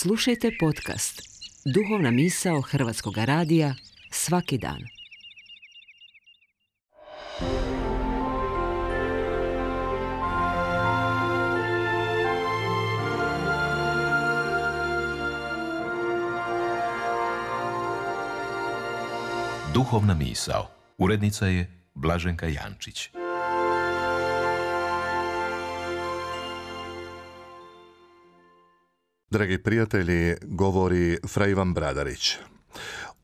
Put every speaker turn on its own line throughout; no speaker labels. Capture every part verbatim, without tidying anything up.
Slušajte podcast Duhovna misao Hrvatskog radija svaki dan.
Duhovna misao. Urednica je Blaženka Jančić.
Dragi prijatelji, govori fra Ivan Bradarić.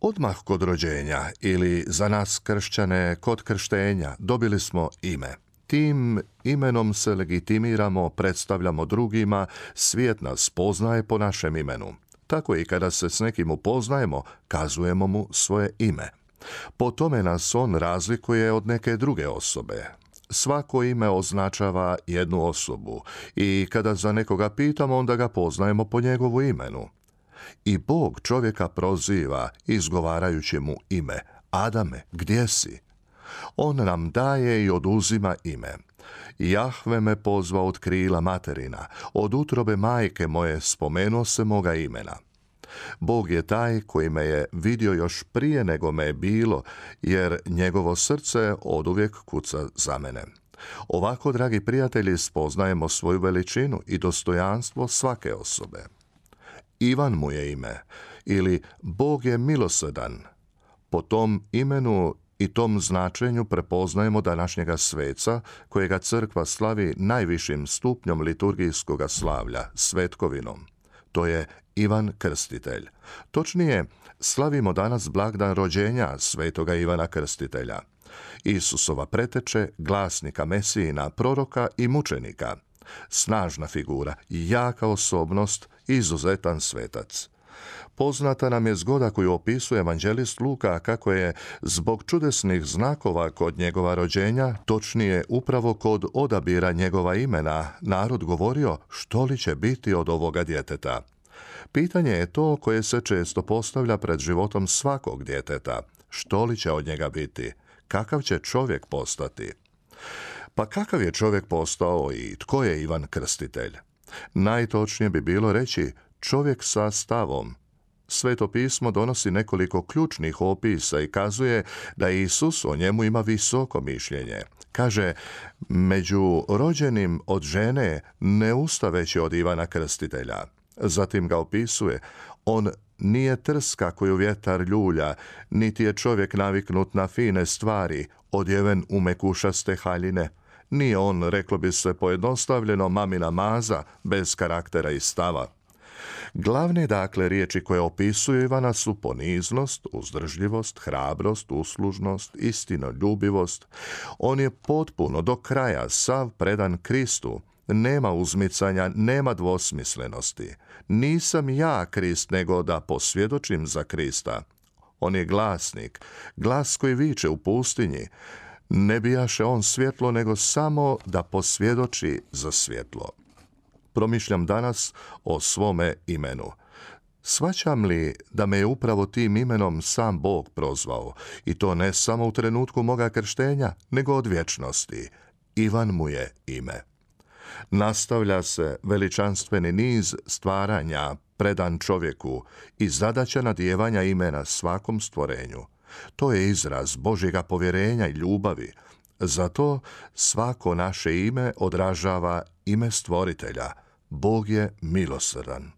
Odmah kod rođenja ili za nas kršćane kod krštenja dobili smo ime. Tim imenom se legitimiramo, predstavljamo drugima, svijet nas poznaje po našem imenu. Tako i kada se s nekim upoznajemo, kazujemo mu svoje ime. Po tome nas on razlikuje od neke druge osobe. Svako ime označava jednu osobu i kada za nekoga pitamo, onda ga poznajemo po njegovu imenu. I Bog čovjeka proziva izgovarajući mu ime. Adame, gdje si? On nam daje i oduzima ime. Jahve me pozva od krila materina, od utrobe majke moje spomenuo se moga imena. Bog je taj koji me je vidio još prije nego me je bilo, jer njegovo srce oduvijek kuca za mene. Ovako, dragi prijatelji, spoznajemo svoju veličinu i dostojanstvo svake osobe. Ivan mu je ime, ili Bog je milosrdan. Po tom imenu i tom značenju prepoznajemo današnjega sveca, kojega crkva slavi najvišim stupnjom liturgijskoga slavlja, svetkovinom. To je Ivan Krstitelj. Točnije, slavimo danas blagdan rođenja svetoga Ivana Krstitelja, Isusova preteče, glasnika Mesijina, proroka i mučenika. Snažna figura, jaka osobnost, izuzetan svetac. Poznata nam je zgoda koju opisuje evanđelist Luka kako je zbog čudesnih znakova kod njegova rođenja, točnije upravo kod odabira njegova imena, narod govorio što li će biti od ovoga djeteta. Pitanje je to koje se često postavlja pred životom svakog djeteta. Što li će od njega biti? Kakav će čovjek postati? Pa kakav je čovjek postao i tko je Ivan Krstitelj? Najtočnije bi bilo reći čovjek sa stavom. Sveto pismo donosi nekoliko ključnih opisa i kazuje da Isus o njemu ima visoko mišljenje. Kaže, među rođenim od žene ne usta veći od Ivana Krstitelja. Zatim ga opisuje, on nije trska koju vjetar ljulja, niti je čovjek naviknut na fine stvari, odjeven u mekušaste haljine. Nije on, reklo bi se pojednostavljeno, mamina maza, bez karaktera i stava. Glavne, dakle, riječi koje opisuju Ivana su poniznost, uzdržljivost, hrabrost, uslužnost, istinoljubivost. On je potpuno do kraja sav predan Kristu. Nema uzmicanja, nema dvosmislenosti. Nisam ja Krist, nego da posvjedočim za Krista. On je glasnik, glas koji viče u pustinji. Ne bijaše on svjetlo, nego samo da posvjedoči za svjetlo. Promišljam danas o svome imenu. Shvaćam li da me je upravo tim imenom sam Bog prozvao, i to ne samo u trenutku moga krštenja, nego od vječnosti. Ivan mu je ime. Nastavlja se veličanstveni niz stvaranja predan čovjeku i zadaća nadjevanja imena svakom stvorenju. To je izraz Božjega povjerenja i ljubavi. Zato svako naše ime odražava ime stvoritelja. Bog je milosrdan.